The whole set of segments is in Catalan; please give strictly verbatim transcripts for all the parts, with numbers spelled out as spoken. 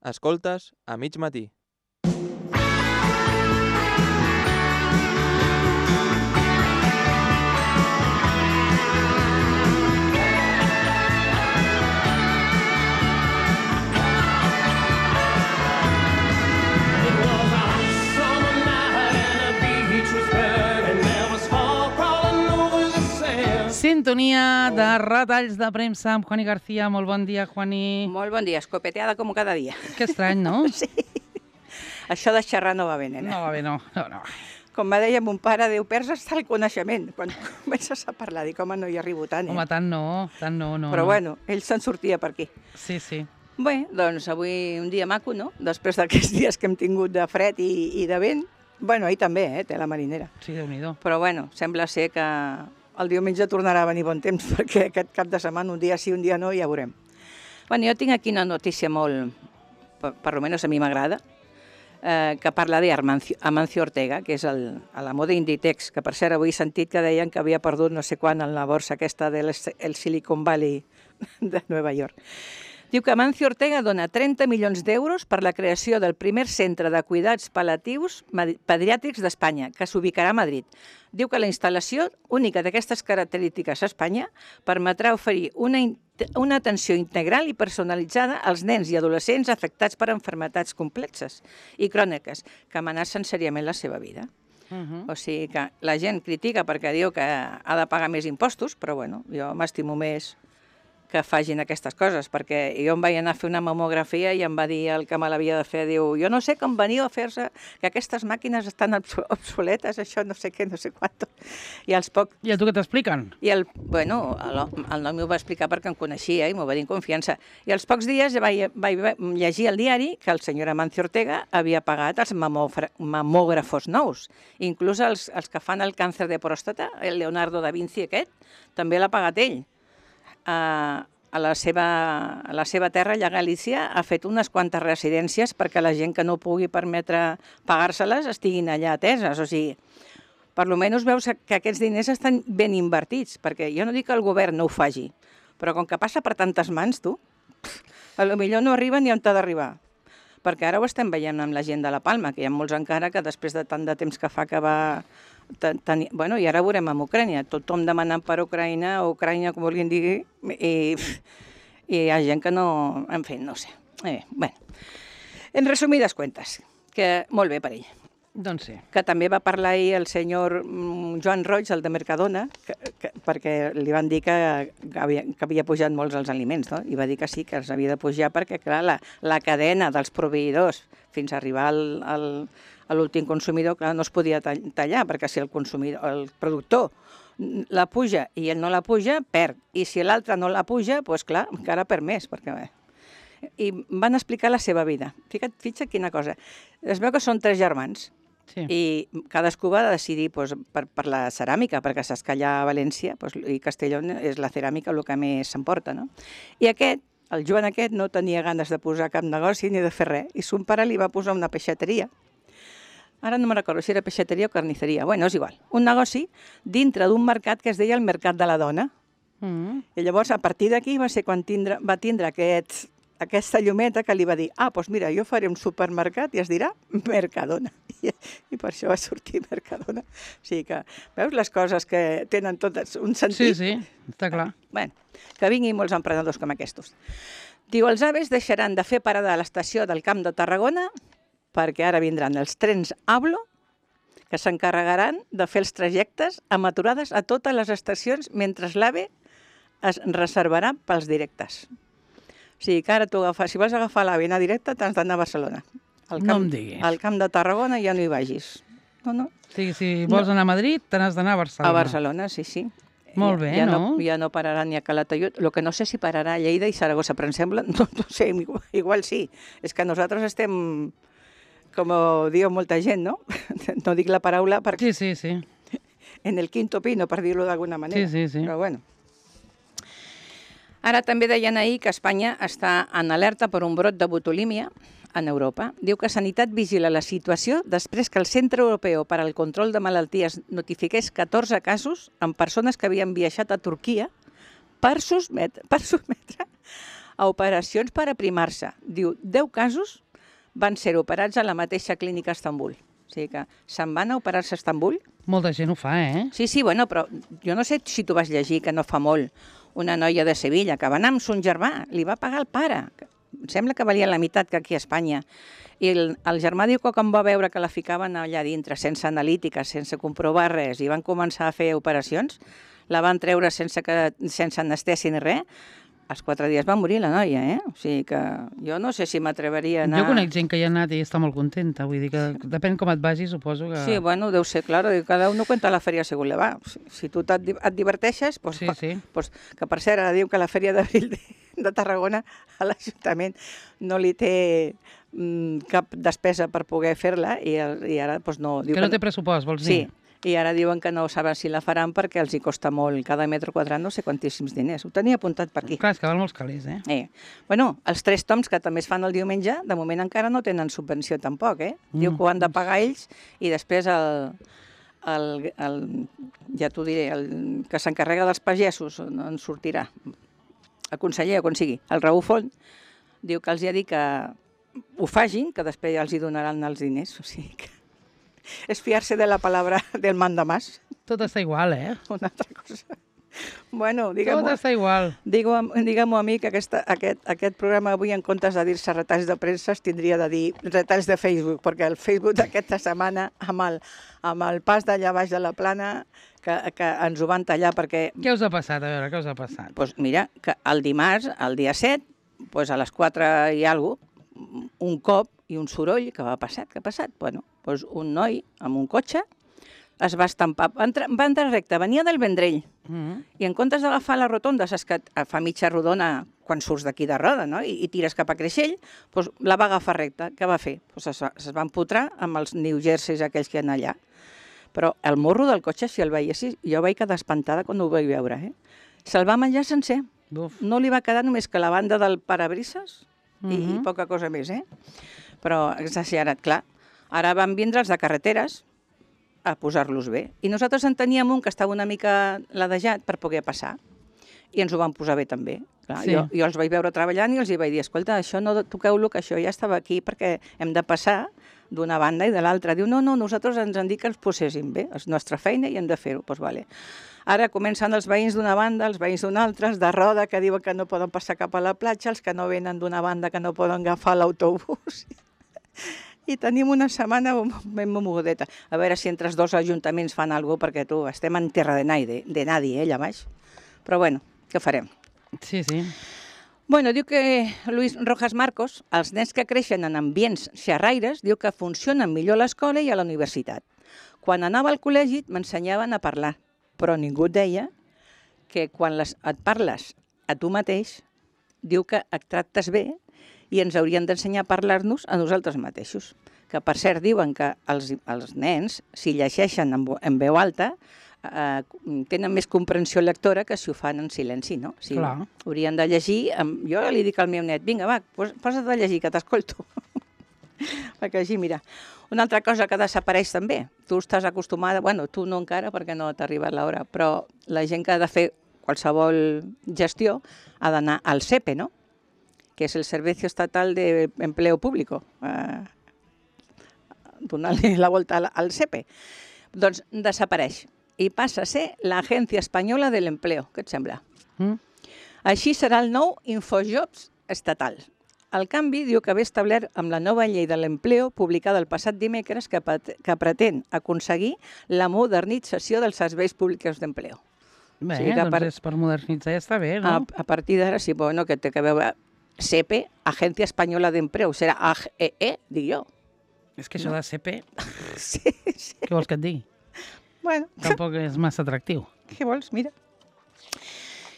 Escoltes a mig matí. Sintonia de retalls de premsa amb Juani García. Molt bon dia, Juani. Molt bon dia, escopeteada com cada dia. Que estrany, no? Sí. Això de xerrar no va bé, nena. No va bé, no. no, no. Com va deia mon pare, Déu, perds hasta el coneixement. Quan comences a parlar, dic, home, no hi arribo tant, eh? Home, tant no, tant no, no. Però no. bueno, ell se'n sortia per aquí. Sí, sí. Bé, doncs avui un dia maco, no? Després d'aquests dies que hem tingut de fred i, i de vent. Bueno, ahir també, eh, té la marinera. Sí, Déu-n'hi-do. Però bueno, sembla ser que el diumenge tornarà a venir bon temps, perquè aquest cap de setmana, un dia sí, un dia no, ja veurem. Bueno, jo tinc aquí una notícia molt, per, per almenys a mi m'agrada, eh, que parla d'Amancio Ortega, que és el, a la moda Inditex, que per cert avui he sentit que deien que havia perdut no sé quan en la borsa aquesta del Silicon Valley de Nova York. Diu que Amancio Ortega dona trenta milions d'euros per la creació del primer centre de cuidats pal·liatius pediàtrics d'Espanya, que s'ubicarà a Madrid. Diu que la instal·lació única d'aquestes característiques a Espanya permetrà oferir una, una atenció integral i personalitzada als nens i adolescents afectats per malalties complexes i cròniques que amenacen seriament la seva vida. Uh -huh. O sigui que la gent critica perquè diu que ha de pagar més impostos, però bueno, jo m'estimo més que facin aquestes coses, perquè jo em vaig anar a fer una mamografia i em va dir el que me l'havia de fer, diu, jo no sé com veniu a fer-se, que aquestes màquines estan obsoletes, això no sé què, no sé quant. I als poc... I a tu què t'expliquen? I el, bueno, el, el nom m'ho va explicar perquè em coneixia i m'ho va dir en confiança. I als pocs dies vaig, vaig llegir al diari que el senyor Amancio Ortega havia pagat els mamògrafos nous, inclús els, els que fan el càncer de pròstata, el Leonardo da Vinci aquest, també l'ha pagat ell. A, a, la seva, a la seva terra, allà a Galícia, ha fet unes quantes residències perquè la gent que no pugui permetre pagar-se-les estiguin allà ateses. O sigui, per almenys veus que aquests diners estan ben invertits, perquè jo no dic que el govern no ho faci, però com que passa per tantes mans, tu, a lo millor no arriba ni on t'ha d'arribar. Perquè ara ho estem veient amb la gent de la Palma, que hi ha molts encara que després de tant de temps que fa que va... Ten... Bueno, i ara veurem amb Ucrània, tothom demanant per Ucraïna, o Ucrània, com vulguin dir, i, i hi ha gent que no... En fi, no sé. Eh, bueno, en resumides cuentes, que molt bé per ell. Doncs sí. Que també va parlar ahir el senyor Joan Roig, el de Mercadona, que, que, perquè li van dir que, que, havia, que havia pujat molts els aliments, no? I va dir que sí, que els havia de pujar perquè, clar, la, la cadena dels proveïdors fins a arribar al, al, a l'últim consumidor, clar, no es podia tallar, perquè si el consumidor, el productor la puja i ell no la puja, perd. I si l'altre no la puja, doncs clar, encara perd més, perquè bé. I van explicar la seva vida. Fica't, fixa't quina cosa. Es veu que són tres germans. Sí. I cadascú va decidir doncs, per, per la ceràmica, perquè saps que allà a València doncs, i Castelló és la ceràmica el que més s'emporta, no? I aquest, el Joan aquest, no tenia ganes de posar cap negoci ni de fer res, i son pare li va posar una peixateria. Ara no me'n recordo si era peixateria o carnisseria, bueno, és igual. Un negoci dintre d'un mercat que es deia el Mercat de la Dona. Mm. I llavors, a partir d'aquí va ser quan tindre, va tindre aquest... aquesta llumeta que li va dir, ah, doncs mira, jo faré un supermercat i es dirà Mercadona. I, i per això va sortir Mercadona. O sigui que, veus les coses que tenen totes un sentit? Sí, sí, està clar. Bé, que vinguin molts emprenedors com aquests. Diu, els aves deixaran de fer parada a l'estació del Camp de Tarragona perquè ara vindran els trens Ablo que s'encarregaran de fer els trajectes amb aturades a totes les estacions mentre l'AVE es reservarà pels directes. O sigui que ara tu agafes, si vols agafar l'AVE i anar directe, t'has d'anar a Barcelona. Al camp, no em diguis. Al Camp de Tarragona ja no hi vagis. No, no. Sí, si vols no. anar a Madrid, te n'has d'anar a Barcelona. A Barcelona, sí, sí. Molt bé, ja, ja no? no? Ja no pararà ni a Calatayud. El que no sé si pararà a Lleida i Saragossa, però em sembla, no, no sé, igual, igual sí. És que nosaltres estem, com diu molta gent, no? No dic la paraula perquè... Sí, sí, sí. En el quinto pino, per dir-ho d'alguna manera. Sí, sí, sí. Però bueno. Ara també deien ahir que Espanya està en alerta per un brot de botulímia en Europa. Diu que Sanitat vigila la situació després que el Centre Europeu per al Control de Malalties notifiqués catorze casos en persones que havien viatjat a Turquia per sotmetre, per sotmetre a operacions per aprimar-se. Diu, deu casos van ser operats a la mateixa clínica a Estambul. O sigui que se'n van a operar-se a Estambul. Molta gent ho fa, eh? Sí, sí, bueno, però jo no sé si tu vas llegir, que no fa molt, una noia de Sevilla que va anar amb son germà, li va pagar el pare. Em sembla que valia la meitat que aquí a Espanya. I el, el germà diu que quan va veure que la ficaven allà dintre, sense analítica, sense comprovar res, i van començar a fer operacions, la van treure sense, que, sense anestèsia ni res, als quatre dies va morir la noia, eh? O sigui que jo no sé si m'atreveria a anar... Jo conec gent que hi ha anat i està molt contenta, vull dir que depèn com et vagi, suposo que... Sí, bueno, deu ser, claro, cada uno cuenta la feria según le va. Si, si tu et, et diverteixes, pues, Sí, sí. Pues, que per cert, ara diu que la Fèria d'Abril de, de Tarragona a l'Ajuntament no li té mm, cap despesa per poder fer-la i, el- i ara pues, no... Diu Que no té pressupost, vols Sí, dir? i ara diuen que no saben si la faran perquè els hi costa molt, cada metre quadrat no sé quantíssims diners. Ho tenia apuntat per aquí. Clar, és que val molts calés, eh? Eh. Bueno, els tres toms que també es fan el diumenge, de moment encara no tenen subvenció tampoc, eh? Diu Mm. que ho han de pagar ells i després el, el, el ja t'ho diré, el que s'encarrega dels pagesos on en sortirà, el conseller o quan sigui, el Raúl Font, diu que els hi ha dit que ho fagin, que després ja els hi donaran els diners, o sigui que és fiar-se de la palabra del mandamás, Tot està igual, eh? una altra cosa. Bueno, Tot digue'm, està igual. Digue-m'ho digue a mi que aquesta, aquest, aquest programa avui, en comptes de dir-se retalls de premsa, es tindria de dir retalls de Facebook, perquè el Facebook d'aquesta setmana, amb el, amb el pas d'allà baix de la plana, que, que ens ho van tallar perquè... Què us ha passat? A veure, què us ha passat? Pues mira, que el dimarts, el dia set, pues a les quatre i alguna cosa, un cop i un soroll, que va passar, què ha passat? Bueno, pues un noi amb un cotxe es va estampar, va entrar, va entrar recte, venia del Vendrell, Mm. i en comptes d'agafar la rotonda, saps que et fa mitja rodona quan surts d'aquí de Roda, no? I, i tires cap a Creixell, doncs la va agafar recta. Què va fer? Pues es, va, es va empotrar amb els New Jerseys aquells que hi ha allà. Però el morro del cotxe, si el veiessis, jo vaig quedar espantada quan ho vaig veure, eh? Se'l va menjar sencer. Buf. No li va quedar només que la banda del parabrises i, i Mhm. poca cosa més, eh? Però exagerat, clar. Ara van vindre els de carreteres a posar-los bé. I nosaltres en teníem un que estava una mica ladejat per poder passar. I ens ho van posar bé també. Clar, Sí. jo, jo els vaig veure treballant i els hi vaig dir, escolta, això no toqueu-lo, que això ja estava aquí perquè hem de passar d'una banda i de l'altra. Diu, no, no, nosaltres ens han dit que ens poséssim bé, és nostra feina i hem de fer-ho. Doncs vale. Ara comencen els veïns d'una banda, els veïns d'una altra, els de Roda, que diuen que no poden passar cap a la platja, els que no venen d'una banda, que no poden agafar l'autobús. I tenim una setmana ben mogudeta. A veure si entre els dos ajuntaments fan alguna cosa, perquè tu, estem en terra de nadie, de nadie, eh, allà baix. Però bueno, què farem? Sí, sí. Bueno, diu que Luis Rojas Marcos, els nens que creixen en ambients xerraires, diu que funcionen millor a l'escola i a la universitat. Quan anava al col·legi m'ensenyaven a parlar, però ningú et deia que quan les, et parles a tu mateix, diu que et tractes bé i ens haurien d'ensenyar a parlar-nos a nosaltres mateixos. Que, per cert, diuen que els, els nens, si llegeixen en, vo- en veu alta, eh, tenen més comprensió lectora que si ho fan en silenci, no? O sigui, Clar. haurien de llegir... Amb... Jo li dic al meu net, vinga, va, pos, posa't a llegir, que t'escolto. Perquè així, mira. Una altra cosa que desapareix també, tu estàs acostumada, bueno, tu no encara perquè no t'ha arribat l'hora, però la gent que ha de fer qualsevol gestió ha d'anar al S E P E, no? Que és el Servicio Estatal de Empleo Público, eh, donar-li la volta al, al S E P E. Doncs desapareix i passa a ser l'Agència Espanyola de l'Empleo. Què et sembla? Mm? Així serà el nou Infojobs estatal. El canvi diu que ve establert amb la nova llei de l'empleo publicada el passat dimecres que, pat- que pretén aconseguir la modernització dels serveis públics d'empleo. Bé, Sí, que doncs per- és per modernitzar ja està bé, A, no? a partir d'ara, sí, bueno, que té que veure S E P E, Agència Espanyola d'Empleo, serà A G E E, dic jo. És que això de C P, Sí, sí. què vols que et digui? Bueno, Tampoc és massa atractiu. què vols? Mira.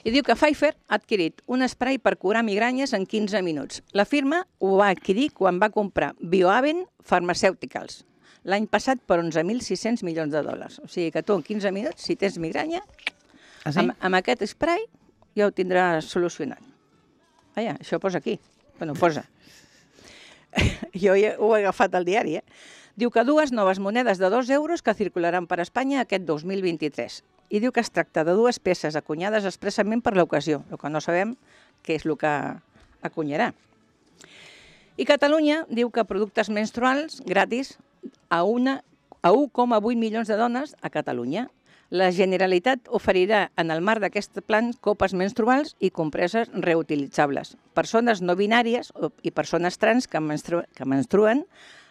I diu que Pfizer ha adquirit un spray per curar migranyes en quinze minuts. La firma ho va adquirir quan va comprar Biohaven Pharmaceuticals l'any passat per onze mil sis-cents milions de dòlars. O sigui que tu en quinze minuts, si tens migranya, Ah, sí? amb, amb aquest spray ja ho tindràs solucionat. Vaja, això posa aquí. Bueno, posa. Jo ja ho he agafat al diari, eh? Diu que dues noves monedes de dos euros que circularan per Espanya aquest dos mil vint-i-tres. I diu que es tracta de dues peces acunyades expressament per l'ocasió. El que no sabem què és el que acunyarà. I Catalunya diu que productes menstruals gratis a, una, a un coma vuit milions de dones a Catalunya. La Generalitat oferirà en el marc d'aquest plan copes menstruals i compreses reutilitzables. Persones no binàries i persones trans que, menstru que menstruen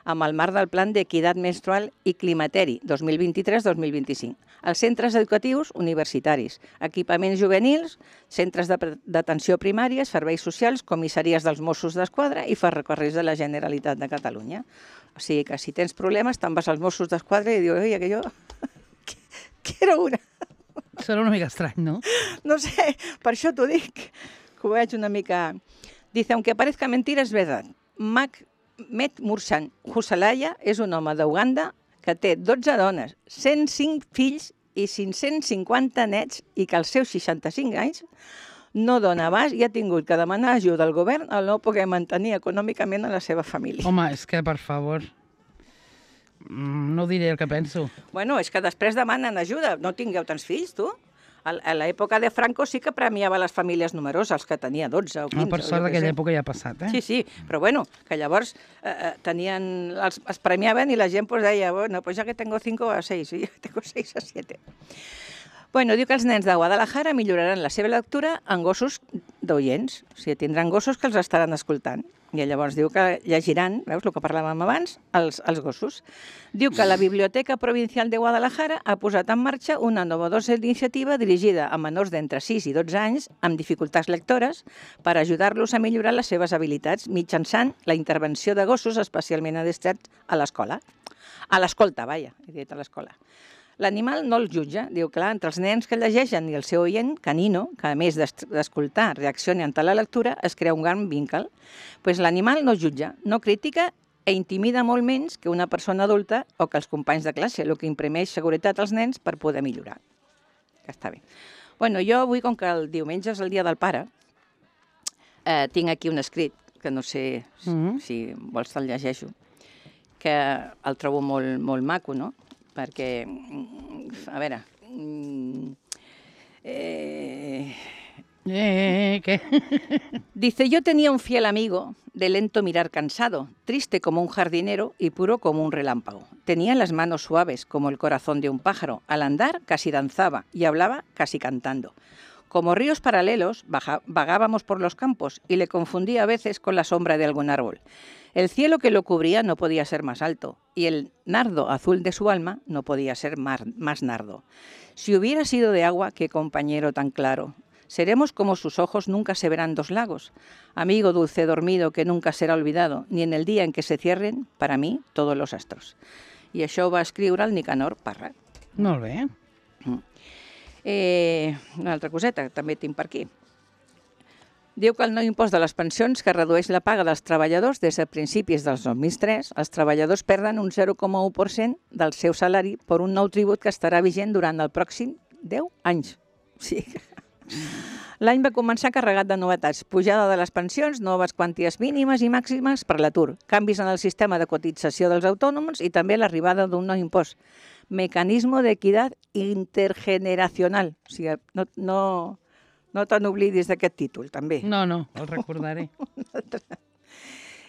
amb el marc del Plan d'Equitat Menstrual i Climateri dos mil vint-i-tres dos mil vint-i-cinc. Els centres educatius universitaris, equipaments juvenils, centres d'atenció primària, serveis socials, comissaries dels Mossos d'Esquadra i ferrocarrils de la Generalitat de Catalunya. O sigui que si tens problemes te'n vas als Mossos d'Esquadra i dius, oi, que jo quiero una. Serà una mica estrany, no? No sé, per això t'ho dic, que ho veig una mica... Dice, aunque parezca mentira, es verdad. Ahmed Mursan Husalaya és un home d'Uganda que té dotze dones, cent cinc fills i cinc-cents cinquanta nets i que als seus seixanta-cinc anys no dona abast i ha tingut que demanar ajuda al govern al no poder mantenir econòmicament a la seva família. Home, és que, per favor, no diré el que penso. Bueno, és que després demanen ajuda. No tingueu tants fills, tu? A l'època de Franco sí que premiava les famílies numeroses, els que tenia dotze o quinze. Per sort d'aquella època ja ha passat, eh? Sí, sí, però bueno, que llavors eh, tenien, els, els premiaven i la gent pues, deia, bueno, pues ya que tengo cinco a seis, y ya tengo seis a siete. Bueno, diu que els nens de Guadalajara milloraran la seva lectura en gossos d'oients, o sigui, tindran gossos que els estaran escoltant. I llavors diu que llegiran, veus el que parlàvem abans, els, els gossos. Diu que la Biblioteca Provincial de Guadalajara ha posat en marxa una novedosa iniciativa dirigida a menors d'entre sis i dotze anys amb dificultats lectores per ajudar-los a millorar les seves habilitats mitjançant la intervenció de gossos especialment adreçats a l'escola. A l'escolta, vaja, he dit a l'escola. L'animal no el jutja, diu, clar, entre els nens que llegeixen i el seu oient, canino, que a més d'escoltar reacciona ante la lectura, es crea un gran vincle. Pues l'animal no jutja, no critica e intimida molt menys que una persona adulta o que els companys de classe, el que imprimeix seguretat als nens per poder millorar. Que està bé. Bueno, jo avui, com que el diumenge és el dia del pare, eh, tinc aquí un escrit, que no sé si, mm-hmm. si vols te'l llegeixo, que el trobo molt, molt maco, no? Perquè, a veure... Eh... Eh, ¿qué? Dice, yo tenía un fiel amigo de lento mirar cansado, triste como un jardinero y puro como un relámpago. Tenía las manos suaves como el corazón de un pájaro. Al andar casi danzaba y hablaba casi cantando. Como ríos paralelos vagábamos por los campos y le confundía a veces con la sombra de algún árbol. El cielo que lo cubría no podía ser más alto y el nardo azul de su alma no podía ser más nardo. Si hubiera sido de agua, qué compañero tan claro. Seremos como sus ojos, nunca se verán dos lagos. Amigo dulce dormido que nunca será olvidado, ni en el día en que se cierren, para mí, todos los astros. I això ho va escriure el Nicanor Parra. Molt bé. Eh, una altra coseta que també tinc per aquí. Diu que el nou impost de les pensions que redueix la paga dels treballadors des de principis dels dos mil tres, els treballadors perden un zero coma u per cent del seu salari per un nou tribut que estarà vigent durant el pròxim deu anys. Sí. L'any va començar carregat de novetats, pujada de les pensions, noves quanties mínimes i màximes per l'atur, canvis en el sistema de cotització dels autònoms i també l'arribada d'un nou impost. Mecanisme d'equitat intergeneracional. O sigui, no, no, no te n'oblidis d'aquest títol, també. No, no, el recordaré.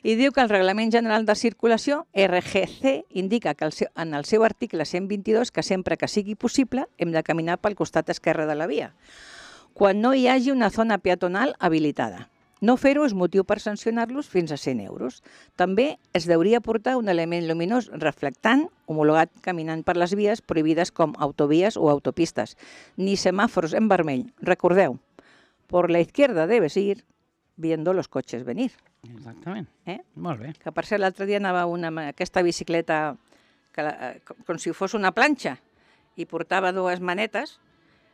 I diu que el Reglament General de Circulació, R G C, indica que el seu, en el seu article cent vint-i-dos que sempre que sigui possible hem de caminar pel costat esquerre de la via, quan no hi hagi una zona peatonal habilitada. No fer-ho és motiu per sancionar-los fins a cent euros. També es deuria portar un element luminós reflectant, homologat caminant per les vies prohibides com autovies o autopistes, ni semàfors en vermell. Recordeu, por la izquierda debes ir viendo los coches venir. Exactament. Eh? Molt bé. Que per cert l'altre dia anava una, aquesta bicicleta que la, com si fos una planxa i portava dues manetes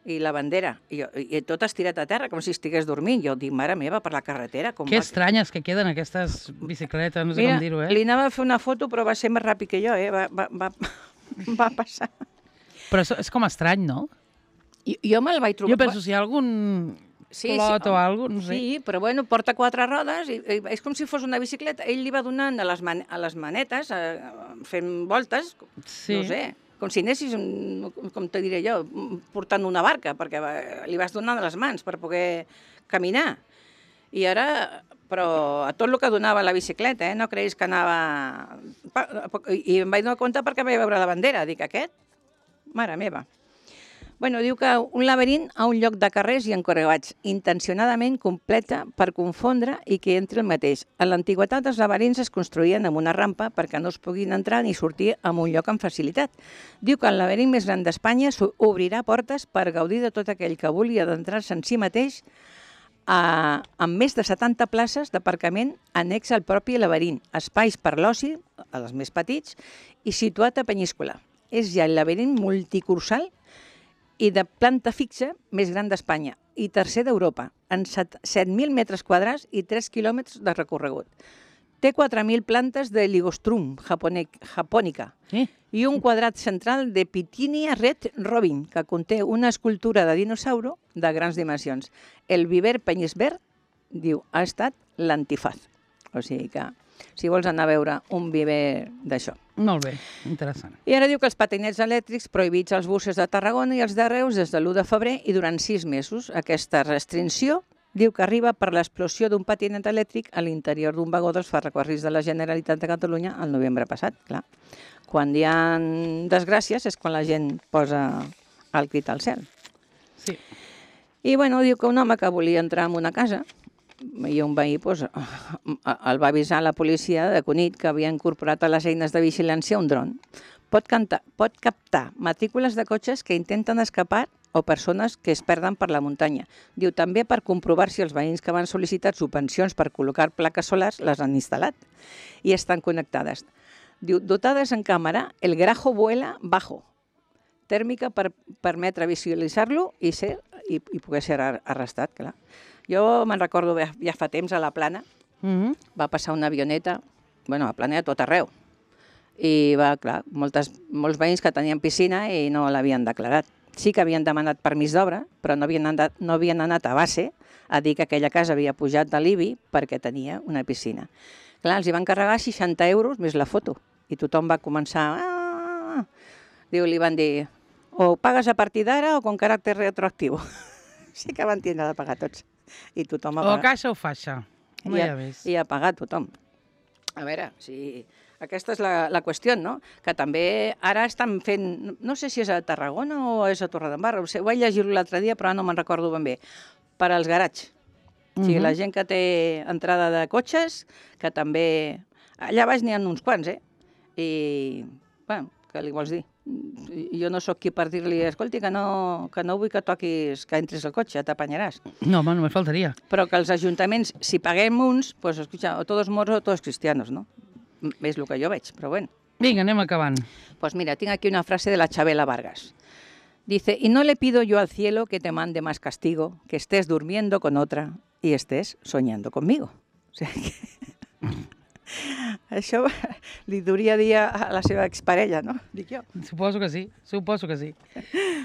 i la bandera, i, i tot estirat a terra, com si estigués dormint. Jo dic, mare meva, per la carretera... Com que va... estranyes que queden aquestes bicicletes, no sé Mira, com dir-ho, eh? Li anava a fer una foto, però va ser més ràpid que jo, eh? Va, va, va, va passar. Però és, és com estrany, no? I, jo me'l vaig trobar... Jo penso, si hi ha algun sí, clot sí, o alguna cosa, no sé. Sí, però bueno, porta quatre rodes, i, i és com si fos una bicicleta. Ell li va donant a les, man, a les manetes, a, fent voltes, sí. No sé... com si anessis, com te diré jo, portant una barca, perquè li vas donant les mans per poder caminar. I ara però a tot el que donava la bicicleta, eh? No creguis que anava... I em vaig donar compte perquè vaig veure la bandera. Dic, aquest? Mare meva. Bueno, diu que un laberint a un lloc de carrers i encorregats, intencionadament completa per confondre i que entri el mateix. A l'antiguitat els laberints es construïen amb una rampa perquè no es puguin entrar ni sortir en un lloc amb facilitat. Diu que el laberint més gran d'Espanya obrirà portes per gaudir de tot aquell que vulgui adentrar-se en si mateix a, amb més de setanta places d'aparcament annex al propi laberint, espais per l'oci, a els més petits, i situat a Penyíscola. És ja el laberint multicursal i de planta fixa més gran d'Espanya i tercer d'Europa, en set mil metres quadrats i tres quilòmetres de recorregut. Té quatre mil plantes de Ligostrum japònica Sí. i un quadrat central de Pitinia red robin, que conté una escultura de dinosauro de grans dimensions. El viver Penyisbert, diu, ha estat l'antifaz. O sigui que, si vols anar a veure un viver d'això. Molt bé, interessant. I ara diu que els patinets elèctrics prohibits als buses de Tarragona i els de Reus des de l'u de febrer i durant sis mesos. Aquesta restricció diu que arriba per l'explosió d'un patinet elèctric a l'interior d'un vagó dels ferrocarrils de la Generalitat de Catalunya el novembre passat. Clar. Quan hi ha desgràcies és quan la gent posa el crit al cel. Sí. I bueno, diu que un home que volia entrar en una casa i un veí doncs, el va avisar a la policia de Cunit que havia incorporat a les eines de vigilància un dron. Pot, cantar, pot captar matrícules de cotxes que intenten escapar o persones que es perden per la muntanya. Diu també per comprovar si els veïns que van sol·licitar subvencions per col·locar plaques solars les han instal·lat i estan connectades. Diu, dotades en càmera, el grajo vuela bajo, tèrmica per permetre visualitzar-lo i, ser, i, i poder ser arrestat, clar. Jo me'n recordo ja fa temps a la Plana, Mm-hmm. va passar una avioneta, bueno, a la Plana a tot arreu, i va, clar, moltes, molts veïns que tenien piscina i no l'havien declarat. Sí que havien demanat permís d'obra, però no havien, anat, no havien anat a base a dir que aquella casa havia pujat de l'I B I perquè tenia una piscina. Clar, els hi van carregar seixanta euros més la foto, i tothom va començar... Ah! Diu, li van dir, o pagues a partir d'ara o con caràcter retroactiu. Sí que van tindre de pagar tots. I tothom ha O pagat. caixa o faixa. No I hi ha, ha més. I ha pagat tothom. A veure, si... aquesta és la, la qüestió, no? Que també ara estan fent, no sé si és a Tarragona o és a Torredembarra, ho, sé, ho vaig llegir-ho l'altre dia, però no me'n recordo ben bé, per als garats. O sigui, la gent que té entrada de cotxes, que també... Allà baix n'hi ha uns quants, eh? I, bueno, què li vols dir? Jo no sóc qui per dir-li, escolti, que no, que no vull que toquis, que entris al cotxe, t'apanyaràs. No, home, només faltaria. Però que els ajuntaments, si paguem uns, pues, escucha, o todos moros o todos cristianos, no? És el que jo veig, però bueno. Vinga, anem acabant. Pues mira, tengo aquí una frase de la Chabela Vargas. Dice, y no le pido yo al cielo que te mande más castigo, que estés durmiendo con otra y estés soñando conmigo. O sigui que... Això li duria dir a la seva exparella, no? Dic jo. Suposo que sí, suposo que sí.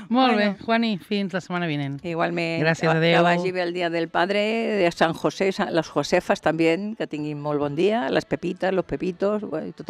Molt Bueno. bé, Juani, fins la setmana vinent. Igualment, Gràcies, que, adéu. que vagi bé el dia del padre, de San José, los Josefas també, que tinguin molt bon dia, les Pepitas, los Pepitos, i tothom.